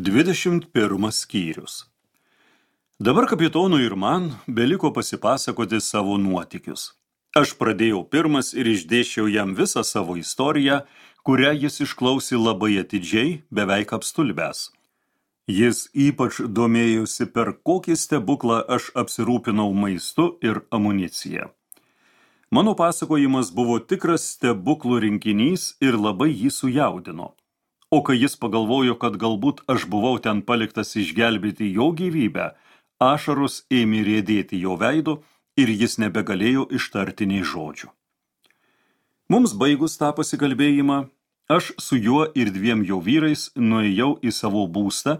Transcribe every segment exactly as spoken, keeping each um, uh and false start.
Dvidešimt pirmas skyrius. Dabar kapitonui ir man beliko pasipasakoti savo nuotykius. Aš pradėjau pirmas ir išdėsčiau jam visą savo istoriją, kurią jis išklausė labai atidžiai, beveik apstulbęs. Jis ypač domėjosi, per kokį stebuklą aš apsirūpinau maistu ir amunicija. Mano pasakojimas buvo tikras stebuklų rinkinys ir labai jį sujaudino. O kai jis pagalvojo, kad galbūt aš buvau ten paliktas išgelbėti jo gyvybę, ašaros ėmė riedėti jo veidu ir jis nebegalėjo ištarti nei žodžių. Mums baigus tą pasikalbėjimą, aš su juo ir dviem jo vyrais nuėjau į savo būstą,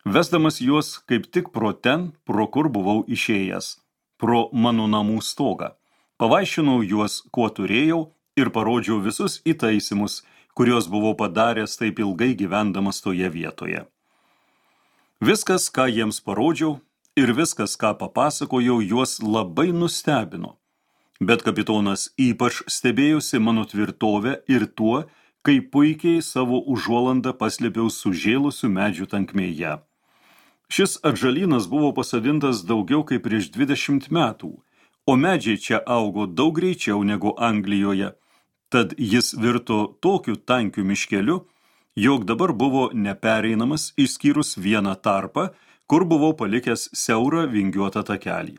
vesdamas juos kaip tik pro ten, pro kur buvau išėjęs, pro mano namų stogą. Pavaišinau juos, kuo turėjau, ir parodžiau visus įtaisymus, kurios buvau padaręs taip ilgai gyvendamas toje vietoje. Viskas, ką jiems parodžiau, ir viskas, ką papasakojau, juos labai nustebino. Bet kapitonas ypač stebėjosi mano tvirtovę ir tuo, kaip puikiai savo užuolandą paslėpiau sužėlusių medžių tankmėje. Šis atžalynas buvo pasodintas daugiau kaip prieš dvidešimt metų, o medžiai čia augo daug greičiau negu Anglijoje. Tad jis virto tokiu tankiu miškeliu, jog dabar buvo nepereinamas išskyrus vieną tarpą, kur buvau palikęs siaurą vingiuotą takelį.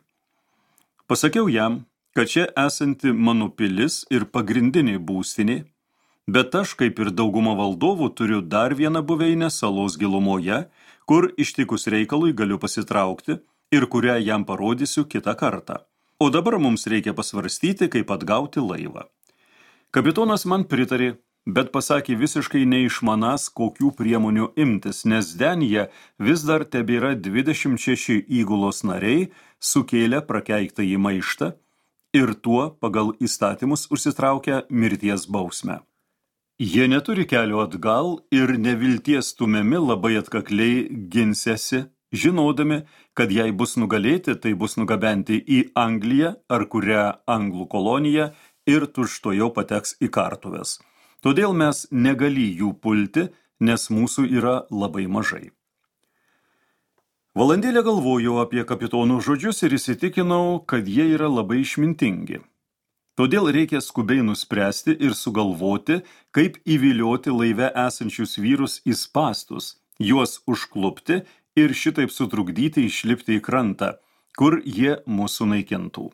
Pasakiau jam, kad čia esanti mano pilis ir pagrindinė būstinė, bet aš, kaip ir dauguma valdovų, turiu dar vieną buveinę salos gilumoje, kur ištikus reikalui galiu pasitraukti ir kurią jam parodysiu kitą kartą. O dabar mums reikia pasvarstyti, kaip atgauti laivą. Kapitonas man pritarė, bet pasakė visiškai neišmanas, kokių priemonių imtis, nes denyje vis dar tebėra dvidešimt šeši įgulos nariai sukėlę prakeiktąjį maištą ir tuo pagal įstatymus užsitraukia mirties bausmę. Jie neturi kelio atgal ir nevilties stumiami labai atkakliai ginsėsi, žinodami, kad jei bus nugalėti, tai bus nugabenti į Angliją ar kurią anglų koloniją ir tučtuojau pateks į kartuves. Todėl mes negali jų pulti, nes mūsų yra labai mažai. Valandėlę galvojau apie kapitonų žodžius ir įsitikinau, kad jie yra labai išmintingi. Todėl reikia skubiai nuspręsti ir sugalvoti, kaip įvilioti laive esančius vyrus į spąstus, juos užklupti ir šitaip sutrukdyti išlipti į krantą, kur jie mūsų naikintų.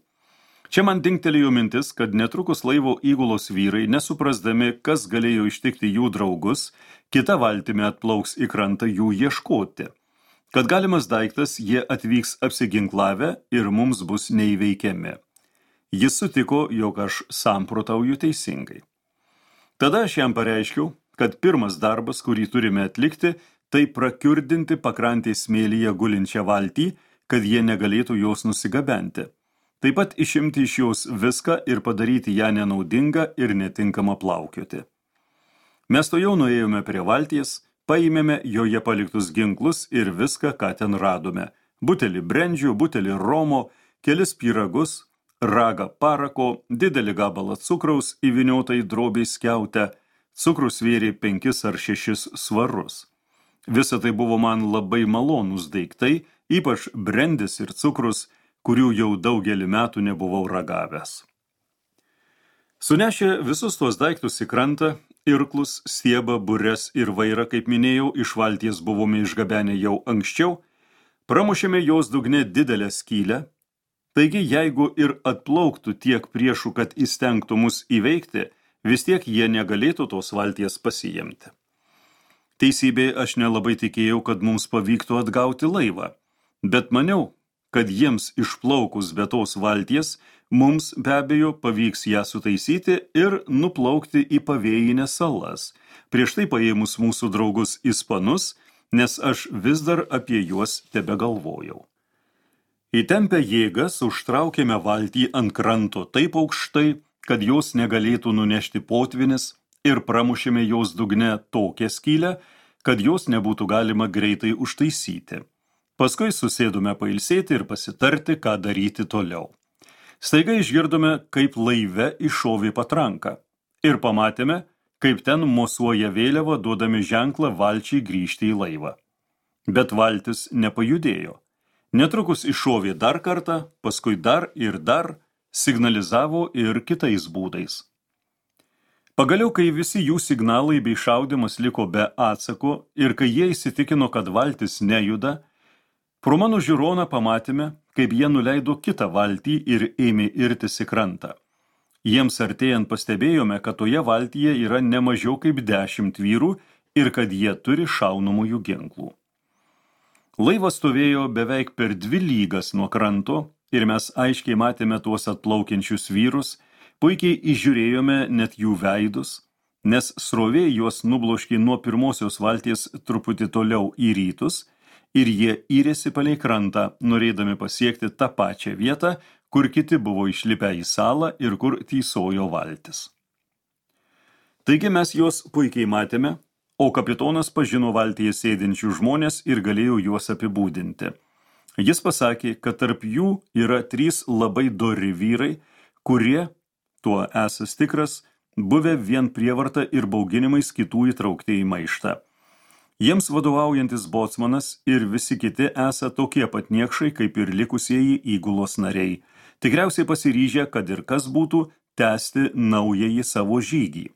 Čia man dingtelėjo mintis, kad netrukus laivo įgulos vyrai, nesuprasdami, kas galėjo ištikti jų draugus, kita valtimi atplauks į krantą jų ieškoti. Kad galimas daiktas, jie atvyks apsiginklavę ir mums bus neįveikiami. Jis sutiko, jog aš samprotauju teisingai. Tada aš jam pareiškiau, kad pirmas darbas, kurį turime atlikti, tai prakiurdinti pakrantės smėlyje gulinčią valtį, kad jie negalėtų jos nusigabenti. Taip pat išimti iš jos viską ir padaryti ją nenaudingą ir netinkamą plaukioti. Mes to jau nuėjome prie valties, paėmėme joje paliktus ginklus ir viską, ką ten radome. Butelį brendžių, butelį romo, kelis pyragus, ragą parako, didelį gabalą cukraus įvyniotą į drobį skiautę, cukrus svėrė penkis ar šešis svarus. Visa tai buvo man labai malonūs daiktai, ypač brendis ir cukrus, kurių jau daugelį metų nebuvau ragavęs. Sunešę visus tuos daiktus į krantą, irklus, stiebą, bures ir vairą, kaip minėjau, iš valties buvome išgabenę jau anksčiau, pramušėme jos dugne didelę skylę, taigi jeigu ir atplauktų tiek priešų, kad įstengtų mus įveikti, vis tiek jie negalėtų tos valties pasiimti. Teisybė, aš nelabai tikėjau, kad mums pavyktų atgauti laivą, bet maniau, kad jiems išplaukus be tos valties, mums be abejo pavyks ją sutaisyti ir nuplaukti į pavėjines salas, prieš tai paėmus mūsų draugus ispanus, nes aš vis dar apie juos tebegalvojau. Įtempę jėgas užtraukėme valtį ant kranto taip aukštai, kad jos negalėtų nunešti potvinis ir pramušėme jos dugne tokią skylę, kad jos nebūtų galima greitai užtaisyti. Paskui susėdome pailsėti ir pasitarti, ką daryti toliau. Staiga išgirdome, kaip laive iššovė patranka ir pamatėme, kaip ten mosuoja vėliava, duodami ženklą valčiai grįžti į laivą. bet valtis nepajudėjo. Netrukus iššovė dar kartą, paskui dar ir dar, signalizavo ir kitais būdais. Pagaliau, kai visi jų signalai bei šaudimas liko be atsako ir kai jie įsitikino, kad valtis nejuda, pro mano žiūroną pamatėme, kaip jie nuleido kitą valtį ir ėmė irtis į krantą. Jiems artėjant pastebėjome, kad toje valtyje yra ne mažiau kaip dešimt vyrų ir kad jie turi šaunamųjų ginklų. Laivas stovėjo beveik per dvi lygas nuo kranto ir mes aiškiai matėme tuos atplaukiančius vyrus, puikiai įžiūrėjome net jų veidus, nes srovė juos nubloškė nuo pirmosios valties truputį toliau į rytus ir jie yrėsi palei krantą, norėdami pasiekti tą pačią vietą, kur kiti buvo išlipę į salą ir kur tysojo valtis. Taigi mes juos puikiai matėme, o kapitonas pažino valtyje sėdinčių žmonės ir galėjo juos apibūdinti. Jis pasakė, kad tarp jų yra trys labai dori vyrai, kurie, tuo esas tikras, buvę vien prievarta ir bauginimais kitų įtraukti į maištą. Jiems vadovaujantis bocmanas ir visi kiti esą tokie pat niekšai, kaip ir likusieji įgulos nariai, tikriausiai pasiryžę, kad ir kas būtų, tęsti naująjį savo žygį.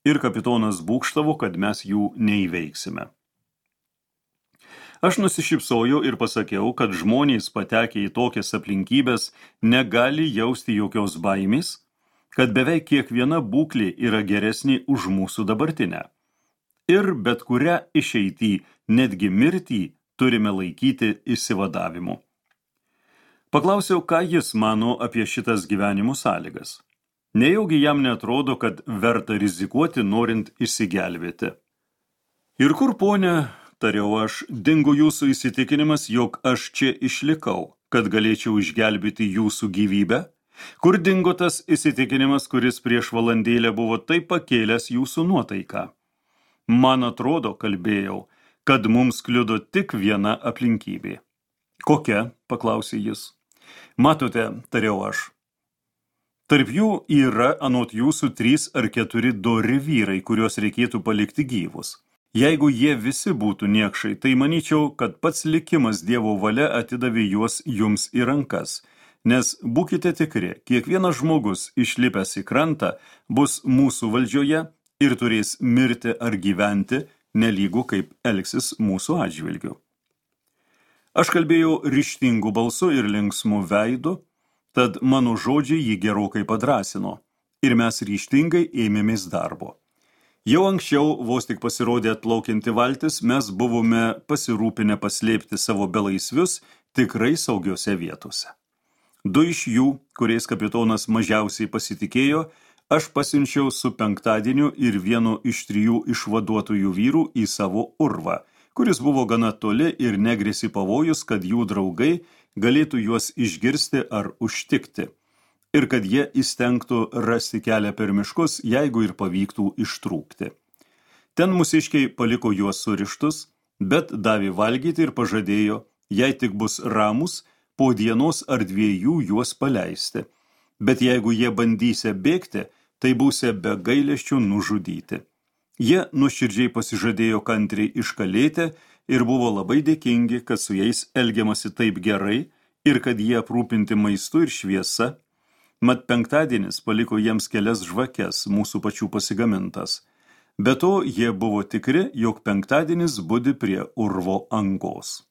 Ir kapitonas būgštavo, kad mes jų neįveiksime. Aš nusišypsojau ir pasakiau, kad žmonės patekę į tokias aplinkybės negali jausti jokios baimės, kad beveik kiekviena būklė yra geresnė už mūsų dabartinę. Ir bet kurią išeitį, netgi mirtį, turime laikyti išsivadavimu. Paklausiau, ką jis mano apie šitas gyvenimo sąlygas. Nejaugi jam neatrodo, kad verta rizikuoti, norint išsigelbėti. Ir kur, ponė, tariau aš, dingo jūsų įsitikinimas, jog aš čia išlikau, kad galėčiau išgelbėti jūsų gyvybę? Kur dingo tas įsitikinimas, kuris prieš valandėlę buvo taip pakėlęs jūsų nuotaiką? Man atrodo, kalbėjau, kad mums kliudo tik viena aplinkybė. Kokia? Paklausė jis. Matote, tariau aš. Tarp jų yra anot jūsų trys ar keturi dori vyrai, kuriuos reikėtų palikti gyvus. Jeigu jie visi būtų niekšai, tai manyčiau, kad pats likimas Dievo valia atidavė juos jums į rankas. Nes būkite tikri, kiekvienas žmogus išlipęs į krantą bus mūsų valdžioje ir turės mirti ar gyventi, nelygu kaip elgsis mūsų atžvilgiu. Aš kalbėjau ryžtingu balsu ir linksmu veidu, tad mano žodžiai jį gerokai padrasino ir mes ryžtingai ėmėmės darbo. Jau anksčiau, vos tik pasirodė atplaukianti valtis, mes buvome pasirūpinę paslėpti savo belaisvius tikrai saugiose vietose. Du iš jų, kuriais kapitonas mažiausiai pasitikėjo, aš pasiunčiau su penktadieniu ir vienu iš trijų išvaduotojų vyrų į savo urvą, kuris buvo gana toli ir negrėsi pavojus, kad jų draugai galėtų juos išgirsti ar užtikti, ir kad jie įstengtų rasti kelią per miškus, jeigu ir pavyktų ištrūkti. Ten mūsiškiai paliko juos surištus, bet davė valgyti ir pažadėjo, jei tik bus ramus, po dienos ar dviejų juos paleisti. Bet jeigu jie bandysia bėgti, tai būsia be gailesčių nužudyti. Jie nuoširdžiai pasižadėjo kantriai iškalėti ir buvo labai dėkingi, kad su jais elgiamasi taip gerai ir kad jie aprūpinti maistu ir šviesa. Mat penktadienis paliko jiems kelias žvakes, mūsų pačių pasigamintas. Be to, jie buvo tikri, jog penktadienis budi prie urvo angos.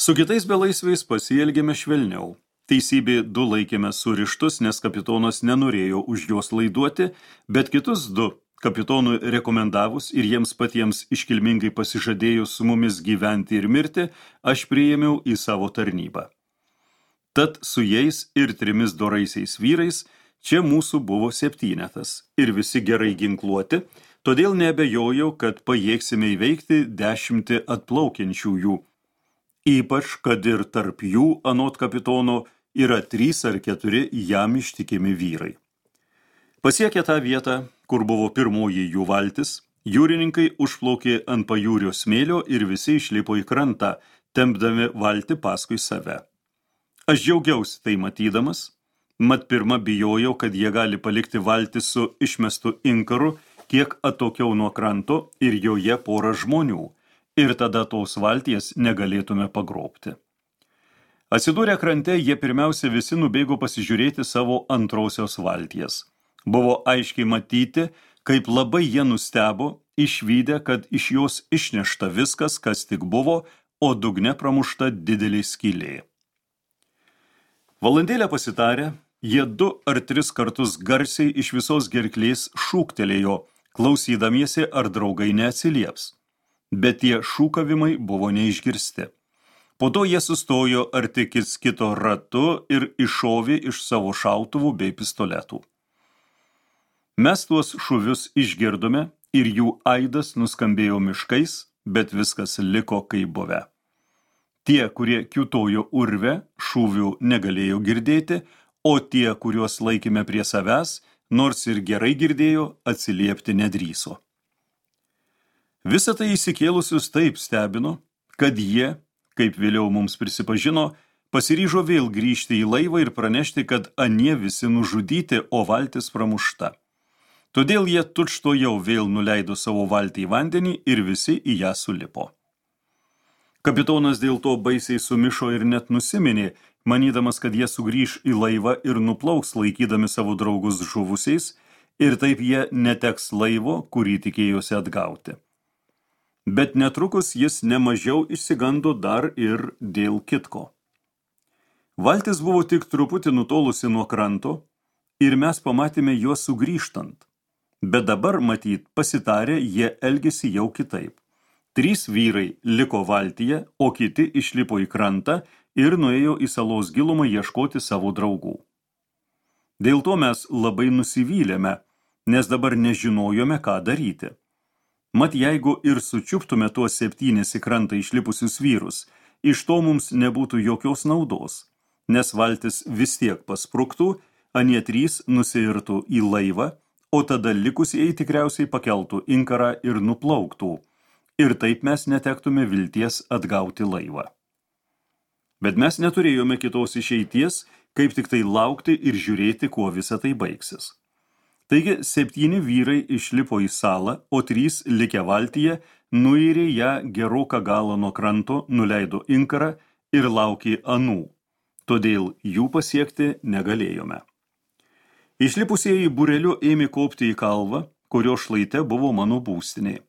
Su kitais belaisviais pasielgėme švelniau. Teisybė du laikėme surištus, nes kapitonas nenorėjo už juos laiduoti, bet kitus du, kapitonui rekomendavus ir jiems patiems iškilmingai pasižadėjus su mumis gyventi ir mirti, aš priėmiau į savo tarnybą. Tad su jais ir trimis doraisiais vyrais čia mūsų buvo septynetas ir visi gerai ginkluoti, todėl neabejojau, kad pajėgsime įveikti dešimtį atplaukiančiųjų, ypač kad ir tarp jų, anot kapitono, yra trys ar keturi jam ištikimi vyrai. Pasiekę tą vietą, kur buvo pirmoji jų valtis, jūrininkai užplaukė ant pajūrio smėlio ir visi išlipo į krantą, tempdami valtį paskui save. Aš džiaugiausi tai matydamas, mat pirma bijojau, kad jie gali palikti valtį su išmestu inkaru kiek atokiau nuo kranto ir joje porą žmonių, ir tada tos valties negalėtume pagrobti. Atsidūrę krante, jie pirmiausia visi nubėgo pasižiūrėti savo antrosios valties. Buvo aiškiai matyti, kaip labai jie nustebo, išvydę, kad iš jos išnešta viskas, kas tik buvo, o dugne pramušta didelė skylė. Valandėlę pasitarę, jie du ar tris kartus garsiai iš visos gerklės šūktelėjo, klausydamiesi, ar draugai neatsilieps. Bet tie šūkavimai buvo neišgirsti. Po to jie sustojo arti kits kito ratu ir iššovė iš savo šautuvų bei pistoletų. Mes tuos šūvius išgirdome ir jų aidas nuskambėjo miškais, bet viskas liko kaip buvę. Tie, kurie kiūtojo urve, šūvių negalėjo girdėti, o tie, kuriuos laikėme prie savęs, nors ir gerai girdėjo, atsiliepti nedrįso. Visą tai įsikėlusius taip stebino, kad jie, kaip vėliau mums prisipažino, pasiryžo vėl grįžti į laivą ir pranešti, kad anie visi nužudyti, o valtis pramušta. Todėl jie tučtuojau vėl nuleido savo valtį į vandenį ir visi į ją sulipo. Kapitonas dėl to baisiai sumišo ir net nusiminė, manydamas, kad jie sugrįž į laivą ir nuplauks laikydami savo draugus žuvusiais, ir taip jie neteks laivo, kurį tikėjosi atgauti. Bet netrukus jis nemažiau išsigando dar ir dėl kitko. Valtis buvo tik truputį nutolusi nuo kranto ir mes pamatėme juos sugrįžtant. Bet dabar, matyt, pasitarę, jie elgėsi jau kitaip. Trys vyrai liko valtyje, o kiti išlipo į krantą ir nuėjo į salos gilumą ieškoti savo draugų. Dėl to mes labai nusivylėme, nes dabar nežinojome, ką daryti. Mat jeigu ir sučiuptume tuos septynis į krantą išlipusius vyrus, iš to mums nebūtų jokios naudos, nes valtis vis tiek paspruktų, anie trys nusiirtų į laivą, o tada likusieji tikriausiai pakeltų inkarą ir nuplauktų, ir taip mes netektume vilties atgauti laivą. Bet mes neturėjome kitos išeities, kaip tik tai laukti ir žiūrėti, kuo visa tai baigsis. Taigi septyni vyrai išlipo į salą, o trys likę valtyje nuirė ją geroką galą nuo kranto, nuleido inkarą ir laukė anų, todėl jų pasiekti negalėjome. Išlipusieji būreliu ėmė kopti į kalvą, kurio šlaite buvo mano būstinė.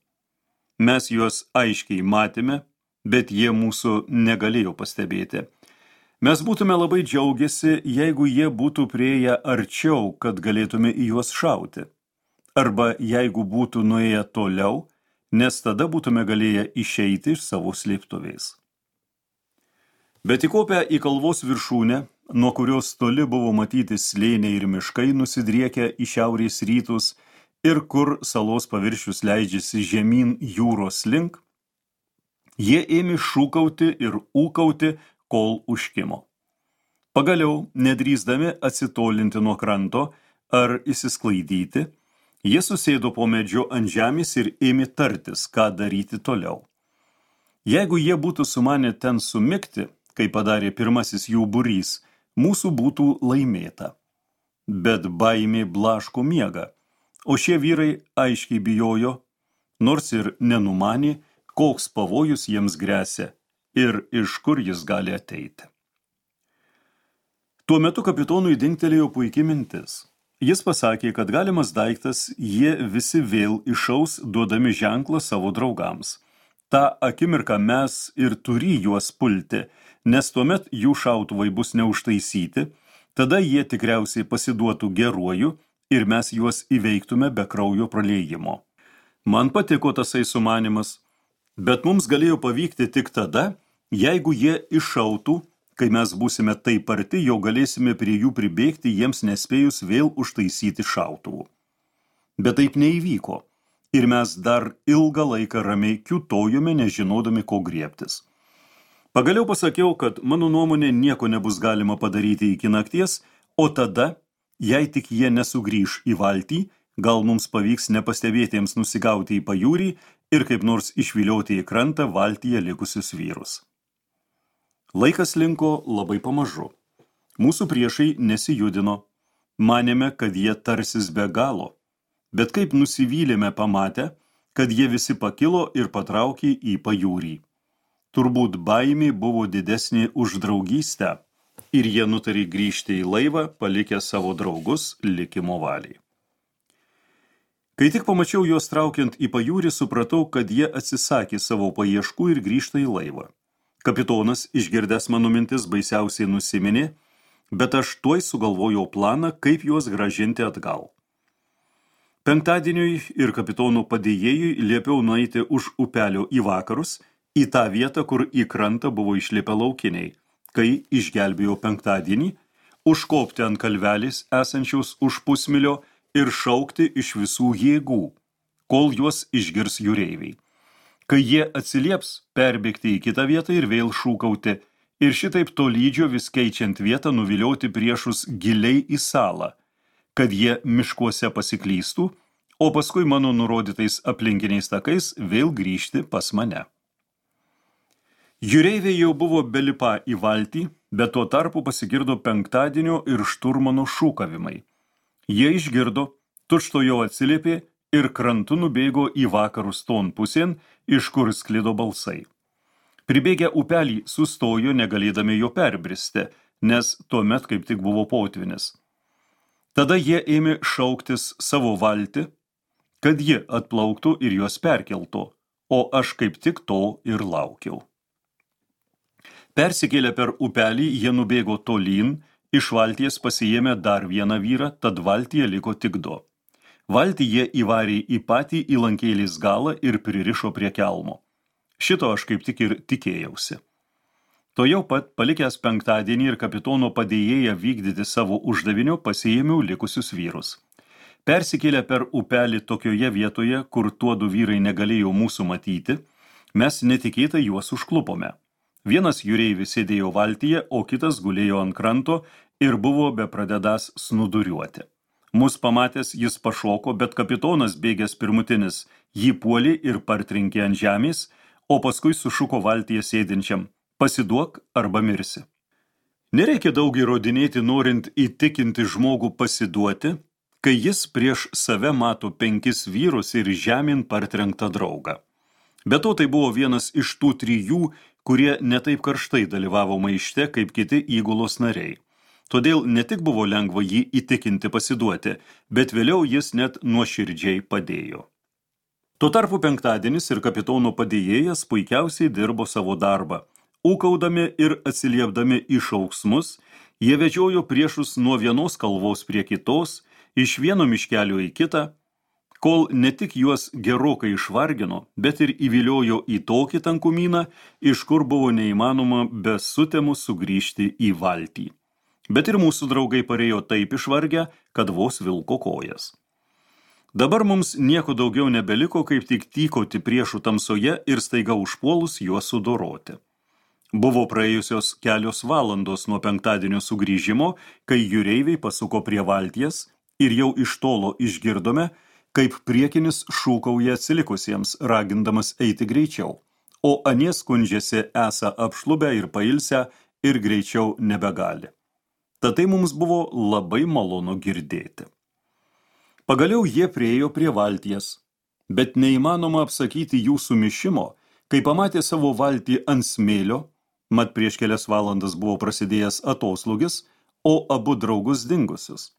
Mes juos aiškiai matėme, bet jie mūsų negalėjo pastebėti. Mes būtume labai džiaugiasi, jeigu jie būtų prieėję arčiau, kad galėtume į juos šauti. Arba jeigu būtų nuėję toliau, nes tada būtume galėję išeiti iš savo slėptuvės. Bet įkopę į kalvos viršūnę, nuo kurios toli buvo matyti slėniai ir miškai nusidriekę į šiaurės rytus ir kur salos paviršius leidžiasi žemyn jūros link, jie ėmė šūkauti ir ūkauti, kol užkimo. Pagaliau, nedrįsdami atsitolinti nuo kranto ar įsisklaidyti, jie susėdo po medžiu ant žemės ir ėmė tartis, ką daryti toliau. Jeigu jie būtų sumanę ten sumigti, kaip padarė pirmasis jų būrys, mūsų būtų laimėta. Bet baimė blaško miegą, o šie vyrai aiškiai bijojo, nors ir nenumanė, koks pavojus jiems gresia ir iš kur jis gali ateiti. Tuo metu kapitonui dingtelėjo puikiai mintis. Jis pasakė, kad galimas daiktas jie visi vėl išaus, duodami ženklą savo draugams. Ta akimirką mes ir turi juos pulti, nes tuomet jų šautuvai bus neužtaisyti, tada jie tikriausiai pasiduotų geruoju ir mes juos įveiktume be kraujo praliejimo. Man patiko tasai sumanimas, bet mums galėjo pavykti tik tada, jeigu jie iššautų, kai mes būsime taip arti, jau galėsime prie jų pribėgti, jiems nespėjus vėl užtaisyti šautuvų. Bet taip neįvyko, ir mes dar ilgą laiką ramiai kiūtojome, nežinodami, ko griebtis. Pagaliau pasakiau, kad mano nuomonė nieko nebus galima padaryti iki nakties, o tada, jei tik jie nesugrįš į valtį, gal mums pavyks nepastebėtiems nusigauti į pajūrį ir kaip nors išvilioti į krantą valtyje likusius vyrus. Laikas linko labai pamažu. Mūsų priešai nesijudino. Manėme, kad jie tarsis be galo. Bet kaip nusivylėme pamatę, kad jie visi pakilo ir patraukė į pajūrį. Turbūt baimė buvo didesnė už draugystę ir jie nutarė grįžti į laivą, palikę savo draugus likimo valiai. Kai tik pamačiau juos traukiant į pajūrį, supratau, kad jie atsisakė savo paieškų ir grįžta į laivą. Kapitonas, išgirdęs mano mintis, baisiausiai nusiminė, bet aš tuoj sugalvojau planą, kaip juos grąžinti atgal. Penktadieniui ir kapitono padėjėjui liepiau nueiti už upelio į vakarus, į tą vietą, kur į krantą buvo išlipę laukiniai, kai išgelbėjo penktadienį, užkopti ant kalvelės esančios už pusmilio ir šaukti iš visų jėgų, kol juos išgirs jūreiviai. Kai jie atsilieps, perbėgti į kitą vietą ir vėl šūkauti, ir šitaip tolydžio vis keičiant vietą nuvilioti priešus giliai į salą, kad jie miškuose pasiklystų, o paskui mano nurodytais aplinkiniais takais vėl grįžti pas mane. Jūreiviai jau buvo belipą į valtį, bet tuo tarpu pasigirdo penktadienio ir šturmano šūkavimai. Jie išgirdo, tučtuojau atsiliepė ir krantu nubėgo į vakarus ton pusėn, iš kur sklido balsai. Pribėgę upelį sustojo, negalėdami jo perbristi, nes tuomet kaip tik buvo potvynis. Tada jie ėmė šauktis savo valtį, kad ji atplauktų ir juos perkeltų, o aš kaip tik to ir laukiau. Persikėlę per upelį, jie nubėgo tolyn, iš valties pasiėmė dar vieną vyrą, tad valtyje liko tik du. Valtį jie įvarė į patį įlankėlės galą ir pririšo prie kelmo. Šito aš kaip tik ir tikėjausi. To jau pat, palikęs penktadienį ir kapitono padėjėją vykdyti savo uždavinio, pasiėmiau likusius vyrus. Persikėlę per upelį tokioje vietoje, kur tuodu vyrai negalėjo mūsų matyti, mes netikėtai juos užklupome. Vienas jūreivis sėdėjo valtyje, o kitas gulėjo ant kranto ir buvo bepradedąs snuduriuoti. Mus pamatęs jis pašoko, bet kapitonas bėgęs pirmutinis jį puolė ir partrinkė ant žemės, o paskui sušuko valtyje sėdinčiam: pasiduok arba mirsi. Nereikia daug įrodinėti, norint įtikinti žmogų pasiduoti, kai jis prieš save mato penkis vyrus ir žemėn partrenktą draugą. Be to tai buvo vienas iš tų trijų, kurie netaip karštai dalyvavo maište kaip kiti įgulos nariai. Todėl ne tik buvo lengva jį įtikinti pasiduoti, bet vėliau jis net nuoširdžiai padėjo. Tuo tarpu penktadienis ir kapitono padėjėjas puikiausiai dirbo savo darbą. Ūkaudami ir atsiliepdami į šauksmus, jie vedžiojo priešus nuo vienos kalvos prie kitos, iš vieno miškelio į kitą, kol ne tik juos gerokai išvargino, bet ir įviliojo į tokį tankumyną, iš kur buvo neįmanoma be sutemų sugrįžti į valtį. Bet ir mūsų draugai parėjo taip išvargę, kad vos vilko kojas. Dabar mums nieko daugiau nebeliko, kaip tik tykoti priešų tamsoje ir staiga užpuolus juos sudoroti. Buvo praėjusios kelios valandos nuo penktadienio sugrįžimo, kai jūreiviai pasuko prie valties ir jau iš tolo išgirdome, kaip priekinis šūkauja atsilikusiems, ragindamas eiti greičiau, o anie skundžiasi esą apšlubę ir pailsę ir greičiau nebegali. Tad tai mums buvo labai malonu girdėti. Pagaliau jie priėjo prie valties, bet neįmanoma apsakyti jų sumišimo, kai pamatė savo valtį ant smėlio, mat prieš kelias valandas buvo prasidėjęs atoslūgis, o abu draugus dingusius.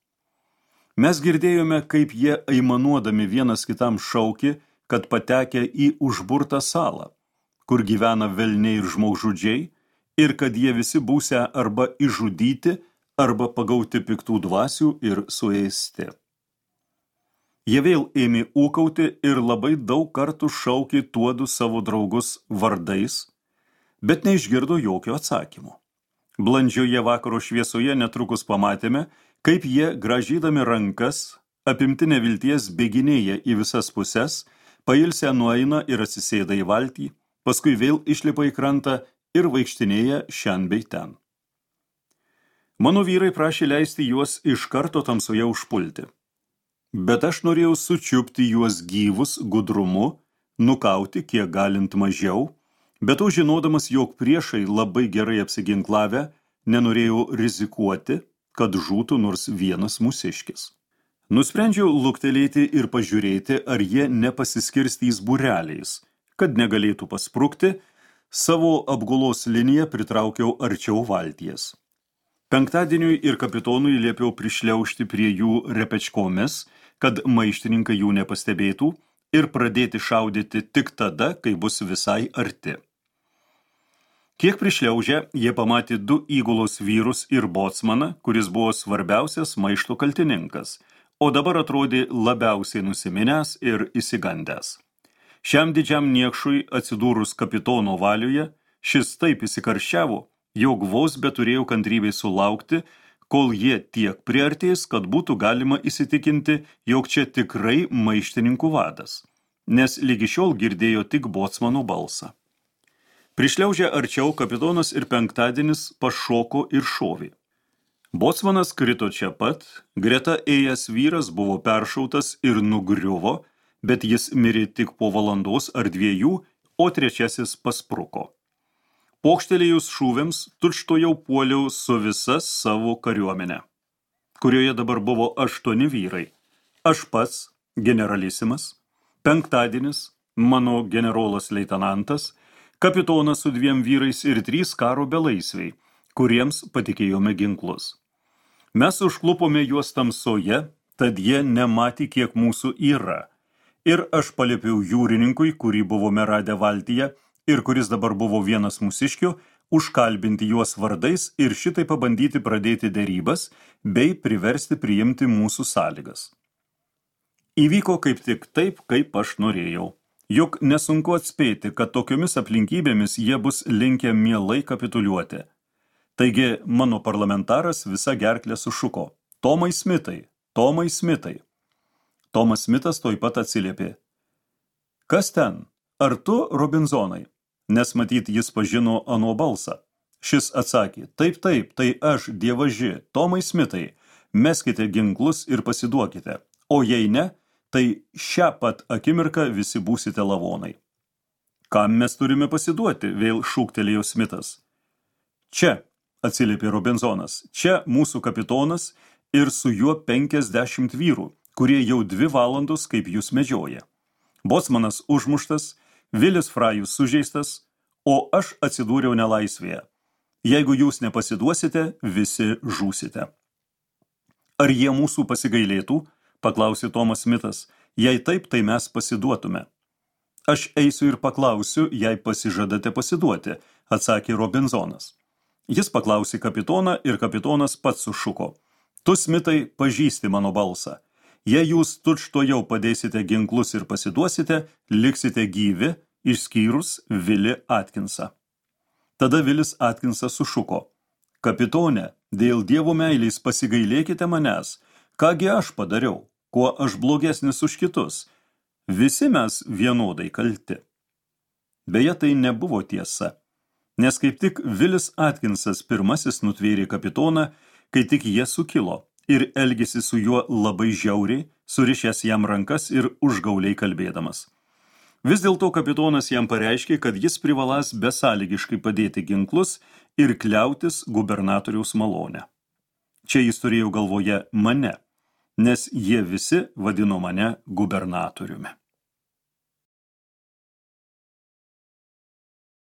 Mes girdėjome, kaip jie aimanuodami vienas kitam šaukė, kad patekę į užburtą salą, kur gyvena velniai ir žmogžudžiai, ir kad jie visi būsią arba išžudyti, arba pagauti piktų dvasių ir suėsti. Jie vėl ėmė ūkauti ir labai daug kartų šaukė tuodu savo draugus vardais, bet neišgirdo jokio atsakymo. Blandžioje vakaro šviesoje netrukus pamatėme, kaip jie, gražydami rankas, apimti nevilties bėginėja į visas puses, pailsę nueina ir atsisėda į valtį, paskui vėl išlipa į krantą ir vaikštinėja šen bei ten. Mano vyrai prašė leisti juos iš karto tamsoje užpulti. Bet aš norėjau sučiupti juos gyvus gudrumu, nukauti kiek galint mažiau, bet to žinodamas, jog priešai labai gerai apsiginklavę, nenorėjau rizikuoti, kad žūtų nors vienas mūsiškis. Nusprendžiau luktelėti ir pažiūrėti, ar jie nepasiskirstys būreliais, kad negalėtų pasprukti, savo apgulos liniją pritraukiau arčiau valties. Penktadieniui ir kapitonui liepiau prišliaužti prie jų repečkomis, kad maištininkai jų nepastebėtų, ir pradėti šaudyti tik tada, kai bus visai arti. Kiek prišliaužę, jie pamatė du įgulos vyrus ir bocmaną, kuris buvo svarbiausias maišto kaltininkas, o dabar atrodė labiausiai nusiminęs ir įsigandęs. Šiam didžiam niekšui atsidūrus kapitono valioje, šis taip įsikarščiavo, jog vos beturėjo kantrybės sulaukti, kol jie tiek priartės, kad būtų galima įsitikinti, jog čia tikrai maištininkų vadas, nes lygi šiol girdėjo tik bocmano balsą. Prišliaužę arčiau, kapitonas ir penktadienis pašoko ir šovė. Bocmanas krito čia pat, greta ėjęs vyras buvo peršautas ir nugriuvo, bet jis mirė tik po valandos ar dviejų, o trečiasis paspruko. Pokštelėjus šūviams, tučtuojau puoliau su visa savo kariuomenė, kurioje dabar buvo aštuoni vyrai. Aš pats, generalisimas, penktadienis, mano generolas leitenantas, kapitonas su dviem vyrais ir trys karo belaisviai, kuriems patikėjome ginklus. Mes užklupome juos tamsoje, tad jie nematė, kiek mūsų yra. Ir aš paliepiau jūrininkui, kurį buvome radę valtyje, ir kuris dabar buvo vienas mūsiškių, užkalbinti juos vardais ir šitai pabandyti pradėti derybas, bei priversti priimti mūsų sąlygas. Įvyko kaip tik taip, kaip aš norėjau. Juk nesunku atspėti, kad tokiomis aplinkybėmis jie bus linkę mielai kapituliuoti. Taigi mano parlamentaras visa gerklė sušuko: Tomai Smitai, Tomai Smitai. Tomas Smitas toj pat atsiliepė: Kas ten? Ar tu, Robinzonai? Nes matyt, jis pažino ano balsą. Šis atsakė: Taip, taip, tai aš, dievaži, Tomai Smitai, meskite ginklus ir pasiduokite, o jei ne, tai šią pat akimirką visi būsite lavonai. Kam mes turime pasiduoti? Vėl šūktelėjo Smitas. Čia, atsiliepė Robinzonas, čia mūsų kapitonas ir su juo penkiasdešimt vyrų, kurie jau dvi valandos kaip jūs medžioja. Bocmanas užmuštas, Vilis Frajus sužeistas, o aš atsidūriau nelaisvėje. Jeigu jūs nepasiduosite, visi žūsite. Ar jie mūsų pasigailėtų? Paklausė Tomas Smitas. Jei taip, tai mes pasiduotume. Aš eisiu ir paklausiu, jei pasižadate pasiduoti, atsakė Robinzonas. Jis paklausė kapitoną ir kapitonas pats sušuko: Tu, Smitai, pažįsti mano balsą. Jei jūs tučtuojau padėsite ginklus ir pasiduosite, liksite gyvi, išskyrus Vilį Atkinsą. Tada Vilis Atkinsas sušuko: Kapitone, dėl Dievo meilės pasigailėkite manęs, kągi aš padariau, kuo aš blogesnis už kitus. Visi mes vienodai kalti. Beje, tai nebuvo tiesa, nes kaip tik Vilis Atkinsas pirmasis nutvėrė kapitoną, kai tik jie sukilo, ir elgėsi su juo labai žiauriai, surišęs jam rankas ir užgauliai kalbėdamas. Vis dėlto kapitonas jam pareiškė, kad jis privaląs besąlygiškai padėti ginklus ir kliautis gubernatoriaus malonę. Čia jis turėjo galvoje mane, nes jie visi vadino mane gubernatoriumi.